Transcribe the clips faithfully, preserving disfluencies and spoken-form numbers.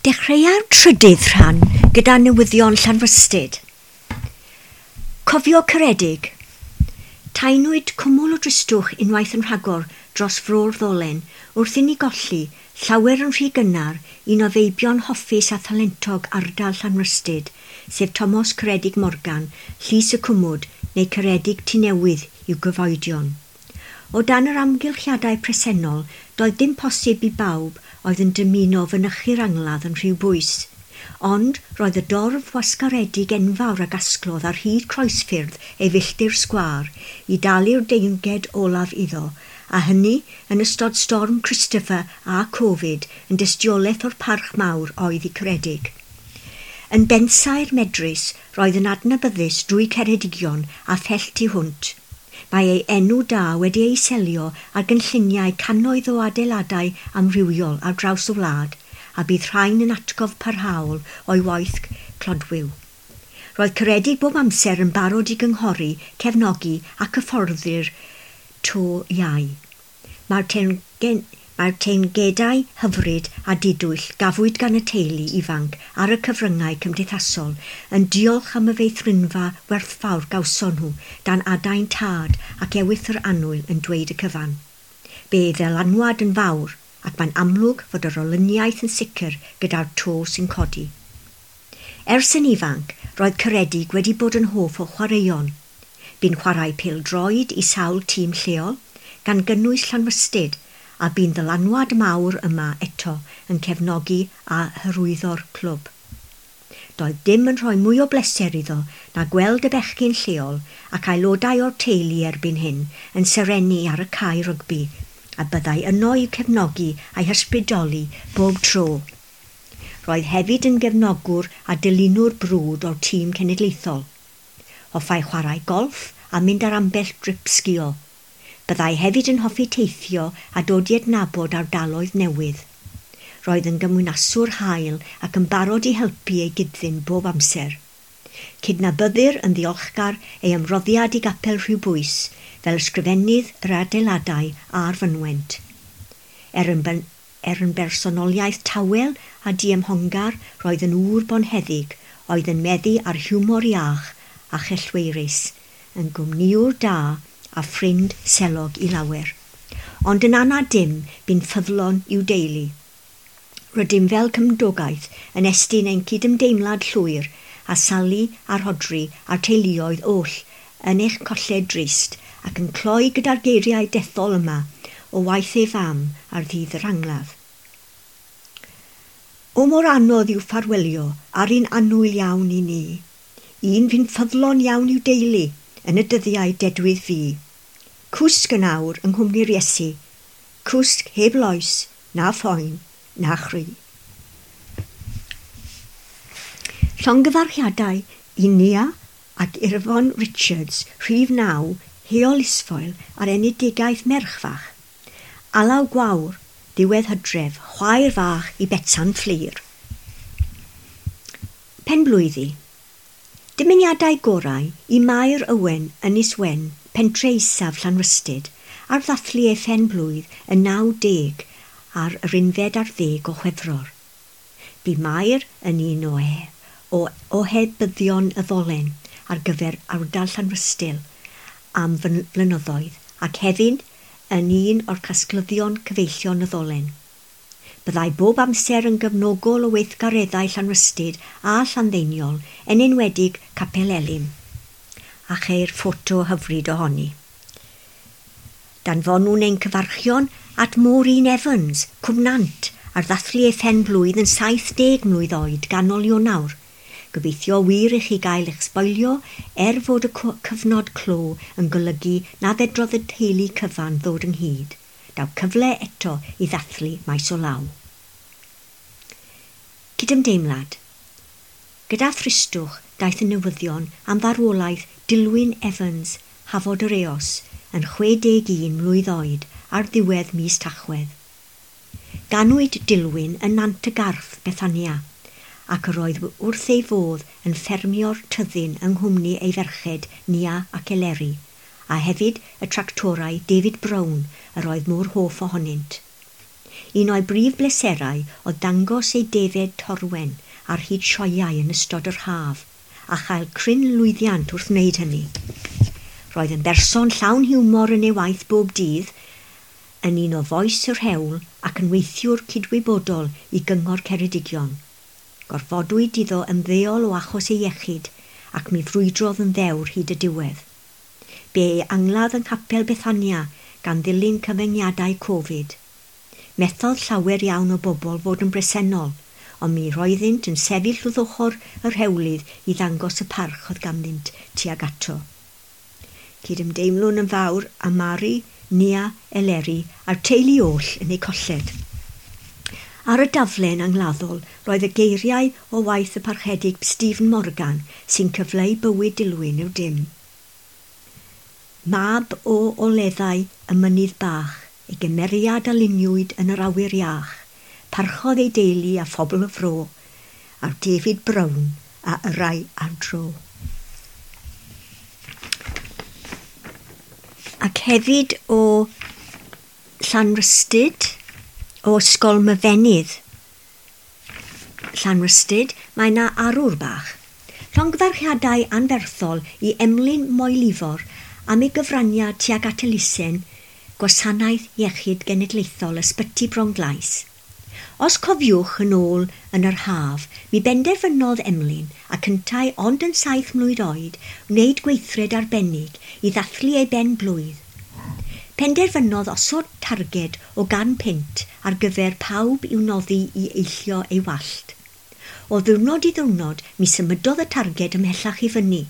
Dechreua'r trydydd rhan gyda newyddion Llanrhystud. Cofio Ceredig. Taenwyd cwmwl o dristwch unwaith yn rhagor dros fro'r ddolen wrth i ni golli llawer yn rhy gynnar un o feibion hoffus a thalentog ardal Llanrhystud, sef Tomos Ceredig Morgan, Llys y Cwmwd neu Ceredig Tŷ Newydd i'w gyfoedion. O dan yr amgylchiadau presennol, doedd dim posib i bawb oedd yn dymuno fynychu'r angladd yn rhyw bwys. Ond roedd y dorf wasgaredig enfawr a gasglodd ar hyd croesffyrdd ei filltir sgwâr i dalu'r deyrnged olaf iddo, a hynny yn ystod storm Christopher a Covid yn dystiolaeth o'r parch mawr oedd i Ceredig. Yn bensaer medrus, roedd yn adnabyddus drwy Ceredigion a phell tu hwnt. Mae ei enw da wedi ei selio ar gynlluniau cannoedd o adeiladau amrywiol ar draws y wlad, a bydd rhain yn atgof parhaol o'i waith clodwiw. Roedd Ceredig bob amser yn barod i gynghori, cefnogi ac hyfforddi'r to iau. Mae'r teyrngen- Mae'r teyrngedau hyfryd a didwyll gafwyd gan y teulu ifanc ar y cyfryngau cymdeithasol yn diolch am y feithrinfa werthfawr gawson nhw dan adain tad ac ewythr annwyl yn dweud y cyfan. Bu ei ddylanwad yn fawr ac mae'n amlwg fod yr olyniaeth yn sicr gyda'r to sy'n codi. Ers yn ifanc, roedd Ceredig wedi bod yn hoff o chwaraeon. Bu'n chwarae pêl-droed i sawl tîm lleol, gan gynnwys Llanrhystud, a bu'n ddylanwad mawr yma eto yn cefnogi a hyrwyddo'r clwb. Doedd dim yn rhoi mwy o bleser iddo na gweld y bechgyn lleol ac aelodau o'r teulu erbyn hyn yn serennu ar y cae rygbi, a byddai yno i'w cefnogi a'i hysbrydoli bob tro. Roedd hefyd yn gefnogwr a dilynwr brwd o'r tîm cenedlaethol. Hoffai chwarae golff a mynd ar ambell drip sgio. Byddai hefyd yn hoffi teithio a dod i adnabod ardaloedd newydd. Roedd yn gymwynaswr hael ac yn barod i helpu ei gyd-ddyn bob amser. Cydnabyddir yn ddiolchgar ei ymroddiad i gapel Rhiwbwys fel ysgrifennydd yr adeiladau a'r fynwent. Er yn, ben, er yn bersonoliaeth tawel a diymhongar, roedd yn ŵr bonheddig oedd yn meddu ar hiwmor iach a chellweirus, yn gwmnïwr da a ffrind selog i lawer. Ond yn anad dim, bu'n ffyddlon i'w deulu. Rydym fel cymdogaeth yn estyn ein cydymdeimlad llwyr a Sali a Rhodri a'r teuluoedd oll yn eich colled drist ac yn cloi gyda'r geiriau dethol yma o waith ei fam ar ddydd yr angladd. O mor anodd yw ffarwelio ar un annwyl iawn i ni, un fu'n ffyddlon iawn i'w deulu yn y dyddiau dedwydd fu. Cwsg yn awr yng nghwmni'r Iesu, cwsg heb loes, na phoen, na chri. Llongyfarchiadau i Nia ac Irfon Richards, rhif naw, Heol Isfoel ar enedigaeth merch fach. Alaw Gwawr, ddiwedd Hydref, chwaer fach i Betsan Fflur. Penblwyddi. Dymuniadau gorau i Mair Owen Ynys Wen, pentre isaf Llanrhystud, ar ddathlu ei phenblwydd yn naw deg ar yr unfed ar ddeg o Chwefror. Bu Mair yn un o, e, o ohebyddion y ddolen ar gyfer ardal Llanrhystud am flynyddoedd ac hefyd yn un o'r casglyddion cyfeillion y ddolen. Byddai bob amser yn gefnogol o weithgareddau Llanrhystud a Llanddeiniol, yn enwedig Capel Elim, a cheir ffoto hyfryd ohoni. Danfonwn ein cyfarchion at Maureen Evans, Cwmnant, ar ddathlu ei phenblwydd yn saith deg mlwydd oed ganol Ionawr. Gobeithio wir i chi gael eich sboilio er fod y cyfnod clo yn golygu na fedrodd y teulu cyfan ddod ynghyd. Daw cyfle eto i ddathlu maes o law. Cydymdeimlad. Gyda thristwch daeth y newyddion am farwolaeth Dilwyn Evans, Hafod yr Eos, yn chwe deg un mlwydd oed ar ddiwedd mis Tachwedd. Ganwyd Dilwyn yn Nant y Garth, Bethania, ac yr oedd wrth ei fodd yn ffermio'r tyddyn yng nghwmni ei ferched Nia ac Eleri, a hefyd y tractorau David Brown yr oedd mor hoff ohonynt. Un o'i brif bleserau oedd dangos ei defed torwen ar hyd sioeau yn ystod yr haf, a chael cryn lwyddiant wrth wneud hynny. Roedd yn berson llawn hiwmor yn ei waith bob dydd, yn un o fois yr hewl ac yn weithiwr cydwybodol i Gyngor Ceredigion. Gorfodwyd iddo ymddeol o achos ei iechyd ac mi frwydrodd yn ddewr hyd y diwedd. Bu ei angladd yng Nghapel Bethania gan ddilyn cyfyngiadau Covid. Methodd llawer iawn o bobl fod yn bresennol, ond mi roeddynt yn sefyll wrth ochr yr hewlydd i ddangos y parch oedd ganddynt tuag ato. Cydymdeimlwn yn fawr â Mari, Nia, Eleri a'r teulu oll yn eu colled. Ar y daflen angladdol roedd y geiriau o waith y parchedig Stephen Morgan sy'n cyfleu bywyd Dilwyn yw dim. Mab o oleddau y mynydd bach, ei gymeriad a luniwyd yn yr awyr iach, parchodd ei deulu a phobl y fro, a'r David Brown a yrrai ar dro. Ac hefyd o Llanrhystud, o Ysgol Myfenydd Llanrhystud, mae yna arwr bach. Llongyfarchiadau anferthol i Emlyn Moelifor am ei gyfraniad tuag at elusen Gwasanaeth Iechyd Genedlaethol Ysbyty Bronglais. Os cofiwch yn ôl yn yr haf, mi benderfynodd Emlyn ac yntau ond yn saith mlwydd oed wneud gweithred arbennig i ddathlu ei ben blwydd. Penderfynodd osod targed o gan punt ar gyfer pawb i'w noddi i eillio ei wallt. O ddiwrnod i ddiwrnod, mi symudodd y targed ymhellach i fyny,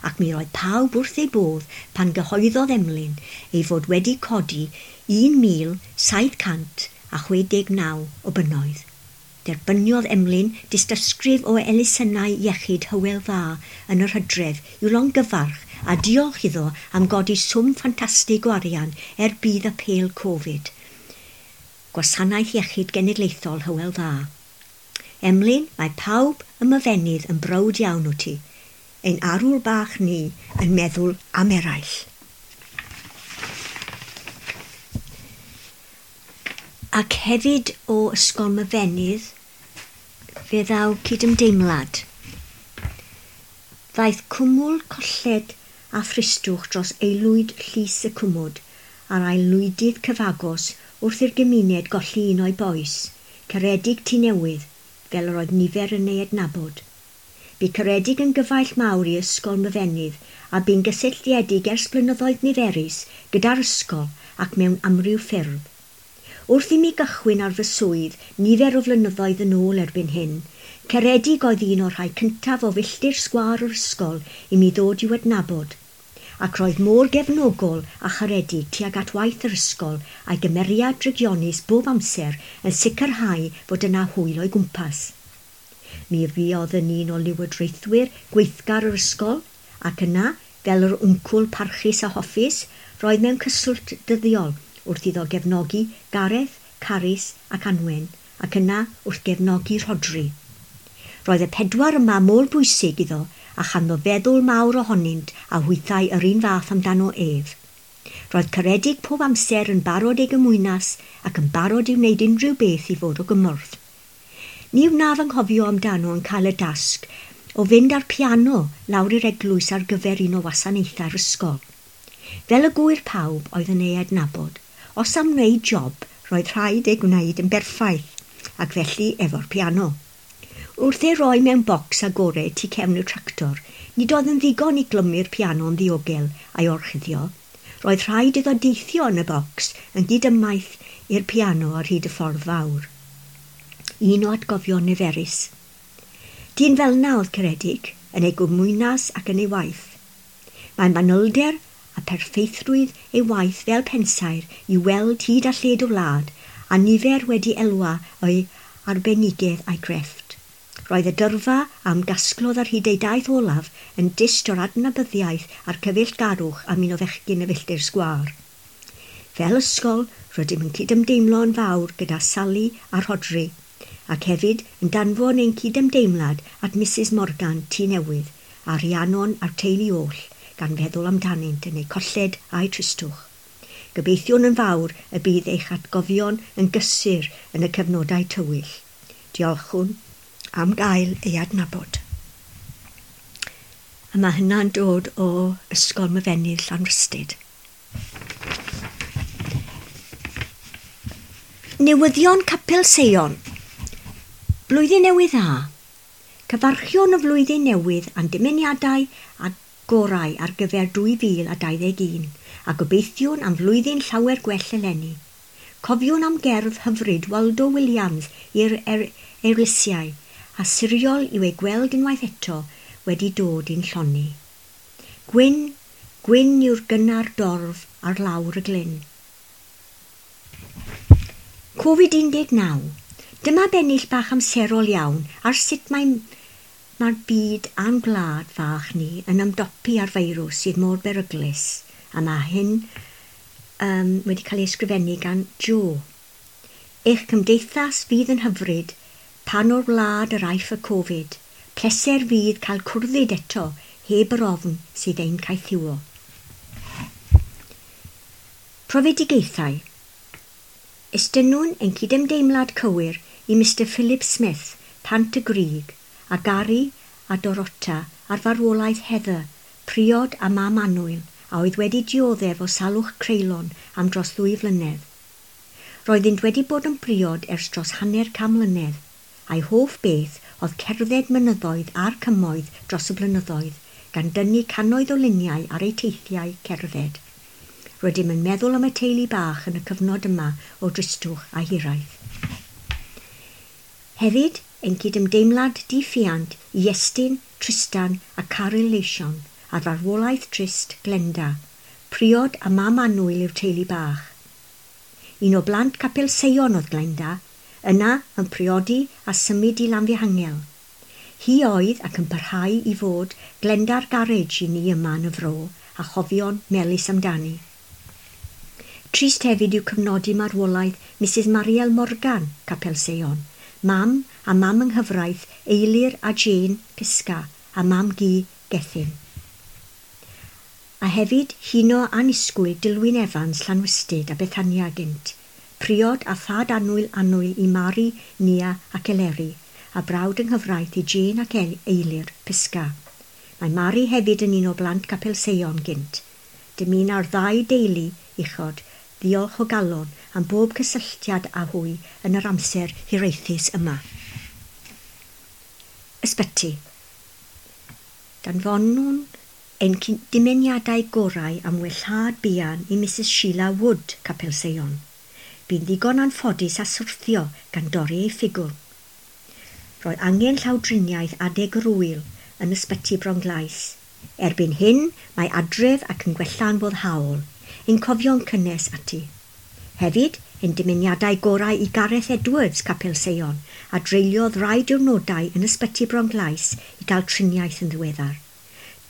ac mi roedd pawb wrth ei bodd pan gyhoeddodd Emlyn ei fod wedi codi un mil saith cant a chwe deg naw o bunnoedd. Derbyniodd Emlyn dystysgrif o elusennau iechyd Hywel Dda yn yr hydref i'w longyfarch a diolch iddo am godi swm ffantastig o arian er budd apêl Covid. Gwasanaeth Iechyd Genedlaethol Hywel Dda. Emlyn, mae pawb ym Myfenydd yn browd iawn o ti. Ein arwr bach ni yn meddwl am eraill. Ac hefyd o Ysgol Myfenydd fe ddaw cydymdeimlad. Ddaeth cwmwl colled a thristwch dros aelwyd llys y cwmwd a'r aelwydydd cyfagos wrth i'r gymuned golli un o'i bois, Ceredig Tŷ Newydd, fel yr oedd nifer yn ei adnabod. Bu Ceredig yn gyfaill mawr i Ysgol Myfenydd a bu'n gysylltiedig ers blynyddoedd niferus gyda'r ysgol ac mewn amryw ffyrdd. Wrth i mi gychwyn ar fy swydd nifer o flynyddoedd yn ôl erbyn hyn, Ceredig oedd un o'r rhai cyntaf o filltir sgwâr yr ysgol i mi ddod i'w adnabod, ac roedd mor gefnogol a charedig tuag at waith yr ysgol a'i gymeriad drygionus bob amser yn sicrhau fod yna hwyl o'i gwmpas. Mi fuodd yn un o lywodraethwyr gweithgar yr ysgol, ac yna, fel yr wncwl parchus a hoffus, roedd mewn cyswllt dyddiol wrth iddo gefnogi Gareth, Carys ac Anwen, ac yna wrth gefnogi Rhodri. Roedd y pedwar yma mor bwysig iddo a chanddo feddwl mawr ohonynt a hwythau yr un fath amdano ef. Roedd Ceredig pob amser yn barod ei gymwynas ac yn barod i wneud unrhyw beth i fod o gymorth. Ni wnaf anghofio amdano yn cael y dasg o fynd â'r piano lawr i'r eglwys ar gyfer un o wasanaethau'r ysgol. Fel y gŵyr pawb oedd yn ei adnabod, os am wneud job, roedd rhaid ei gwneud yn berffaith, ac felly efo'r piano. Wrth ei roi mewn bocs agored tu cefn y tractor, nid oedd yn ddigon i glymu'r piano'n ddiogel a'i orchuddio. Roedd rhaid iddo deithio yn y bocs yn gydymaith i'r piano ar hyd y ffordd fawr. Un o atgofion niferus. Dyn fel 'na oedd Ceredig, yn ei gymwynas ac yn ei waith. Mae manylder a perffeithrwydd ei waith fel pensaer i weld hyd a lled o wlad, a nifer wedi elwa o'i arbenigedd a'i grefft. Roedd y dyrfa am gasglodd ar hyd ei daith olaf yn dyst o'r adnabyddiaeth a'r cyfeillgarwch am un o fechgyn y filltir sgwâr. Fel ysgol, rydym yn cydymdeimlo yn fawr gyda Sally a Rhodri, ac hefyd yn danfon ein cydymdeimlad at Missus Morgan Tŷ Newydd a Rhiannon a'r teulu oll, gan feddwl amdanynt yn eu colled a'u tristwch. Gobeithiwn yn fawr y bydd eich atgofion yn gysur yn y cyfnodau tywyll. Diolchwn am gael ei adnabod. A mae hynna'n dod o Ysgol Myfenydd Llanrhystud. Newyddion Capel Seion. Blwyddyn Newydd Dda. Cyfarchion y flwyddyn newydd a'n dymuniadau a gorau ar gyfer dwy fil a dau ddeg un, a gobeithiwn am flwyddyn llawer gwell eleni. Cofiwn am gerdd hyfryd Waldo Williams i'r er eirlysiau, a siriol yw ei gweld unwaith eto wedi dod i'n llonni. Gwyn, gwyn yw'r gynnar dorf ar lawr y glyn. Covid un deg naw. Dyma bennill bach amserol iawn ar sut mae Mae'r byd a'n gwlad fach ni yn ymdopi â'r feirws sydd mor beryglus, a mae hyn um, wedi cael ei ysgrifennu gan Joe. Eich cymdeithas fydd yn hyfryd pan o'r wlad yr aiff y Covid. Pleser fydd cael cwrddyd eto heb yr ofn sydd ein caethiwo. Profedigaethau. Estynnwn ein cydymdeimlad cywir i Mister Philip Smith, Pant y Grug, a Gary a Dorota ar farwolaeth Heather, priod a mam annwyl, a oedd wedi dioddef o salwch creulon am dros ddwy flynedd. Roeddynt wedi bod yn briod ers dros hanner can mlynedd, a'i hoff beth oedd cerdded mynyddoedd a'r cymoedd dros y blynyddoedd, gan dynnu cannoedd o luniau ar eu teithiau cerdded. Rydym yn meddwl am y teulu bach yn y cyfnod yma o dristwch a hiraeth. Hefyd, ein cydymdeimlad diffuant i Iestyn, Tristan a Caryl Leision ar farwolaeth trist Glenda, priod a mam annwyl i'r teulu bach. Un o blant Capel Seion oedd Glenda, yna yn priodi a symud i Lanfihangel. Hi oedd ac yn parhau i fod Glenda'r garej i ni yma yn y fro a chofion melys amdani. Trist hefyd yw cyfnodi marwolaeth Missus Mariel Morgan, Capel Seion, mam a mam yng nghyfraith Eilir a Jane Pisca a mam Gu Gethin. A hefyd huno anisgwyl Dilwyn Evans Llanwystyd a Bethania gynt, priod a thad annwyl annwyl i Mari, Nia ac Eleri, a brawd yng nghyfraith i Jane ac Eilir Pisca. Mae Mari hefyd yn un o blant Capel Seion gynt. Dymuna'r ddau deulu uchod ddiolch o galon am bob cysylltiad â hwy yn yr amser hiraethus yma. Ysbyty. Danfonwn ein dymuniadau gorau am wellhad buan i Missus Sheila Wood, Capel Seion. Bu'n ddigon anffodus a syrthio gan dorri ei ffigwr. Roedd angen llawdriniaeth adeg yr ŵyl yn ysbyty Bronglais. Erbyn hyn, mae adref ac yn gwella'n foddhaol, ein cofio'n cynnes ati. Hefyd, ein dymuniadau gorau i Gareth Edwards, Capel Seion, a dreuliodd rai diwrnodau yn ysbyty Bronglais i gael triniaeth yn ddiweddar.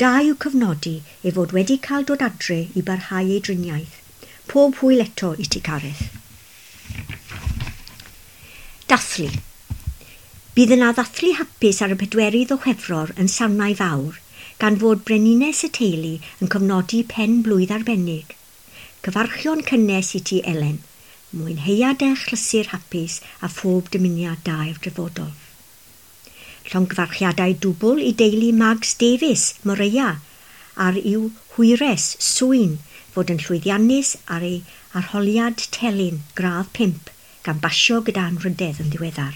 Da yw cyfnodi ei fod wedi cael dod adre i barhau ei driniaeth. Pob hwyl eto i ti, Gareth. Dathlu. Bydd yna ddathlu hapus ar y pedwerydd o Chwefror yn Sarnau Fawr, gan fod brenhines y teulu yn cofnodi pen blwydd arbennig. Cyfarchion cynnes i ti, Elen. Mwynheuad eich chlysur hapus a phob dymuniad da i'r dyfodol. Llongyfarchiadau dwbl i deulu Mags Davies, Moreia, ar i'w hwyres, Swyn, fod yn llwyddiannus ar ei arholiad telyn gradd pump, gan basio gyda anrhydedd yn ddiweddar.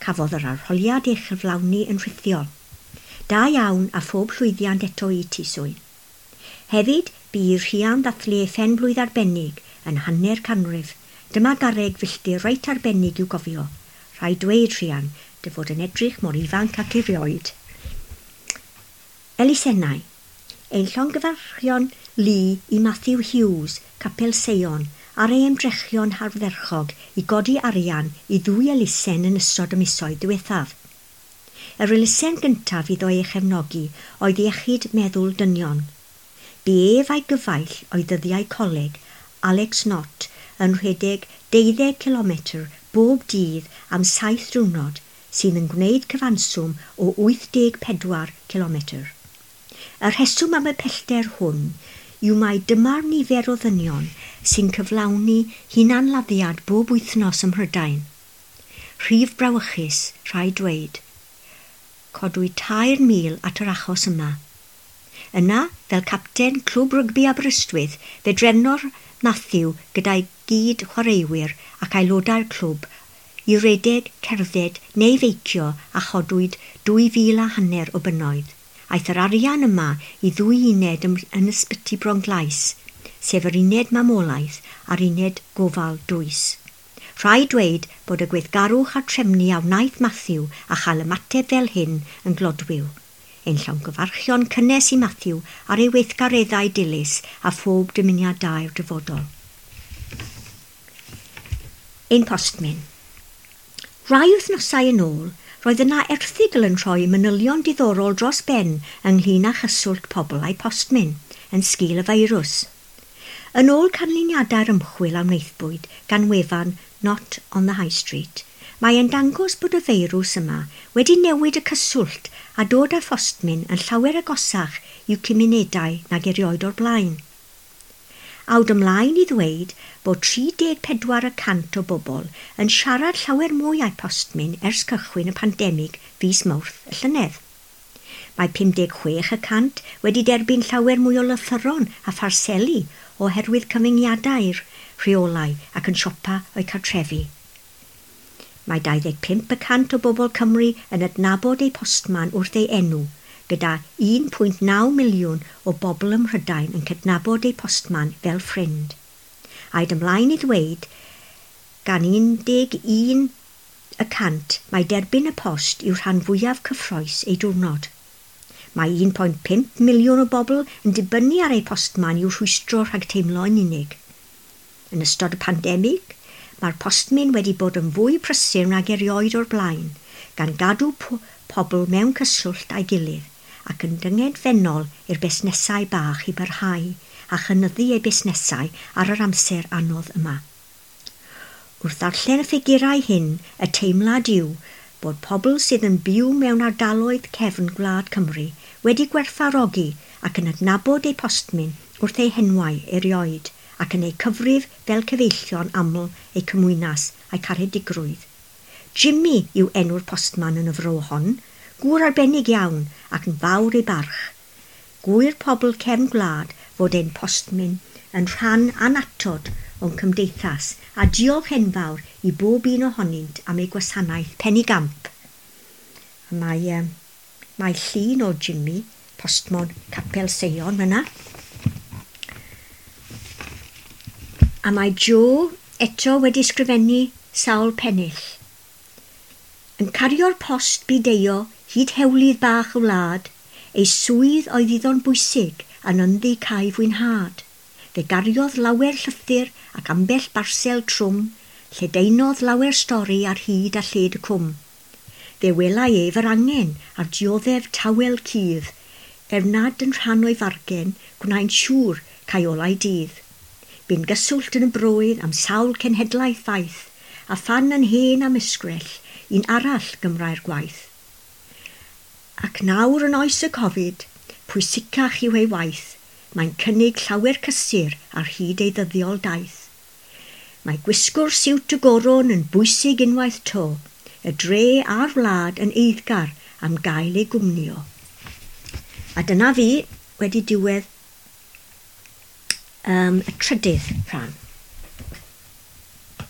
Cafodd yr arholiad ei chyflawni yn rhithiol. Da iawn a phob llwyddiant eto i ti, Swyn. Hefyd, bu i'r rhian ddathlu ei phen blwydd arbennig yn hanner canrif. Dyma garreg filltir reit arbennig i'w gofio. Rhaid dweud, rhian, dy fod yn edrych mor ifanc ac erioed. Elusennau. Ein llongyfarchion lu i Matthew Hughes, Capel Seion, ar ei ymdrechion hardderchog i godi arian i ddwy elusen yn ystod y misoedd diwethaf. Yr elusen gyntaf iddo ei chefnogi oedd iechyd meddwl dynion. Bu ef a'i gyfaill o'i ddyddiau coleg, Alex Knott, yn rhedeg deuddeg kilometr bob dydd am saith diwrnod, sydd yn gwneud cyfanswm o wyth deg pedwar kilometr. Y rheswm am y pellter hwn yw mai dyma'r nifer o ddynion sy'n cyflawni hunanladdiad bob wythnos ym Mhrydain. Rhif brawychus, rhaid dweud. Codwyd tair mil at yr achos yma. Yna, fel capten Clwb Rygbi Aberystwyth, fe drefnodd Matthew gyda'i gyd chwaraewyr ac aelodau'r clwb i redeg, cerdded neu feicio a chodwyd dwy fil a hanner o bunnoedd. Aeth yr arian yma i ddwy uned yn ysbyty Bronglais, sef yr uned mamolaeth a'r uned gofal dwys. Rhaid dweud bod y gweithgarwch a'r trefnu a wnaeth Matthew a chael ymateb fel hyn yn glodwiw. Ein llongyfarchion cynnes i Matthew ar ei weithgareddau dilys a phob dymuniad da i'r dyfodol. Ein postmyn. Rai wythnosau yn ôl, roedd yna erthygl yn rhoi manylion diddorol dros ben ynglyn â chyswllt pobl a'i postmyn yn sgil y feirws. Yn ôl canlyniadau'r ymchwil a wnaethpwyd gan wefan Not on the High Street, mae e'n dangos bod y feirws yma wedi newid y cyswllt a dod â phostmyn yn llawer agosach i'w cymunedau nag erioed o'r blaen. Awd ymlaen i ddweud bod tri deg pedwar y cant o bobl yn siarad llawer mwy â'u postmyn ers cychwyn y pandemig fis Mawrth y llynedd. Mae pum deg chwech y cant wedi derbyn llawer mwy o lythyron a pharseli oherwydd cyfyngiadau'r rheolau ac yn siopa o'u cartrefi. Mae dau ddeg pump y cant o bobl Cymru yn adnabod eu postman wrth ei enw, gyda un pwynt naw miliwn o bobl ym Mhrydain yn cydnabod eu postman fel ffrind. Aed ymlaen i ddweud, gan un deg un y cant mae derbyn y post yw rhan fwyaf cyffrous ei diwrnod. Mae un pwynt pump miliwn o bobl yn dibynnu ar eu postman i'w rhwystro rhag teimlo yn unig. Yn ystod y pandemig, mae'r postmyn wedi bod yn fwy prysur nag erioed o'r blaen, gan gadw pobl mewn cyswllt â'i gilydd ac yn dyngedfennol i'r busnesau bach i barhau a chynyddu eu busnesau ar yr amser anodd yma. Wrth ddarllen y ffigurau hyn, y teimlad yw bod pobl sydd yn byw mewn ardaloedd cefn gwlad Cymru wedi gwerthfawrogi ac yn adnabod eu postmyn wrth eu henwau erioed ac yn eu cyfrif fel cyfeillion aml eu cymwynas a'u caredigrwydd. Jimmy yw enw'r postman yn y fro hon, gŵr arbennig iawn ac yn fawr ei barch. Gŵyr pobl cefn gwlad fod ein postmyn yn rhan annatod o'n cymdeithas a diolch enfawr i bob un ohonynt am ei gwasanaeth penigamp. A mae, um, mae llun o Jimmy, postmon Capel Seion yna. A mae Joe eto wedi sgrifennu sawl pennill. Yn cario'r post bideio hyd hewlydd bach y wlad, ei swydd oedd iddo'n bwysig yn ynddi cae fwynhad. Fe gariodd lawer llythyr ac ambell barsel trwm, lledaenodd lawer stori ar hyd a lled y cwm. Fe welai ef yr angen a'r dioddef tawel cudd, er nad yn rhan o'i fargen, gwnaen siŵr cae olau dydd. Bu'n gyswllt yn y broedd am sawl cenhedlaeth faith, a phan yn hen am ysgrell, un arall gymrai'r gwaith. Ac nawr yn oes y Covid, pwysicach yw ei waith, mae'n cynnig llawer cysur ar hyd ei ddyddiol daith. Mae gwisgo'r siwt y goron yn bwysig unwaith to, y dre a'r wlad yn eiddgar am gael ei gwmnio. A dyna fi wedi diwedd um, y trydydd rhan.